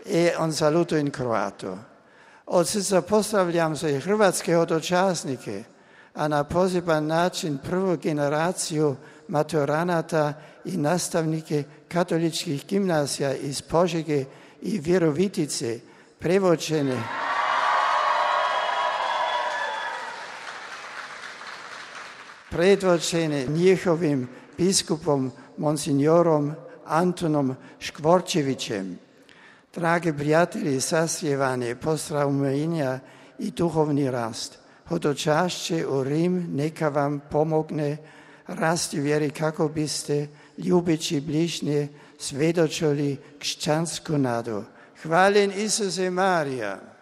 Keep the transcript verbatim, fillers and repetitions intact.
I on saluto in kroato. Od srca pozdravljam sve hrvatske hodočasnike, a na poseban način prvu generaciju maturanata i nastavnike katoličkih gimnazija iz Požege i Virovitice, prevođene predvođene njihovim biskupom monsignorom Antonom Škvorčevićem. Dragi prijatelji, sasjevanje, pozdravljenja i duhovni rast. Hodočašće u Rim neka vam pomogne rasti vjeri kako biste, ljubeći bližnje, svedočili křesťansku nadu. Hvaljen Isuse Marija.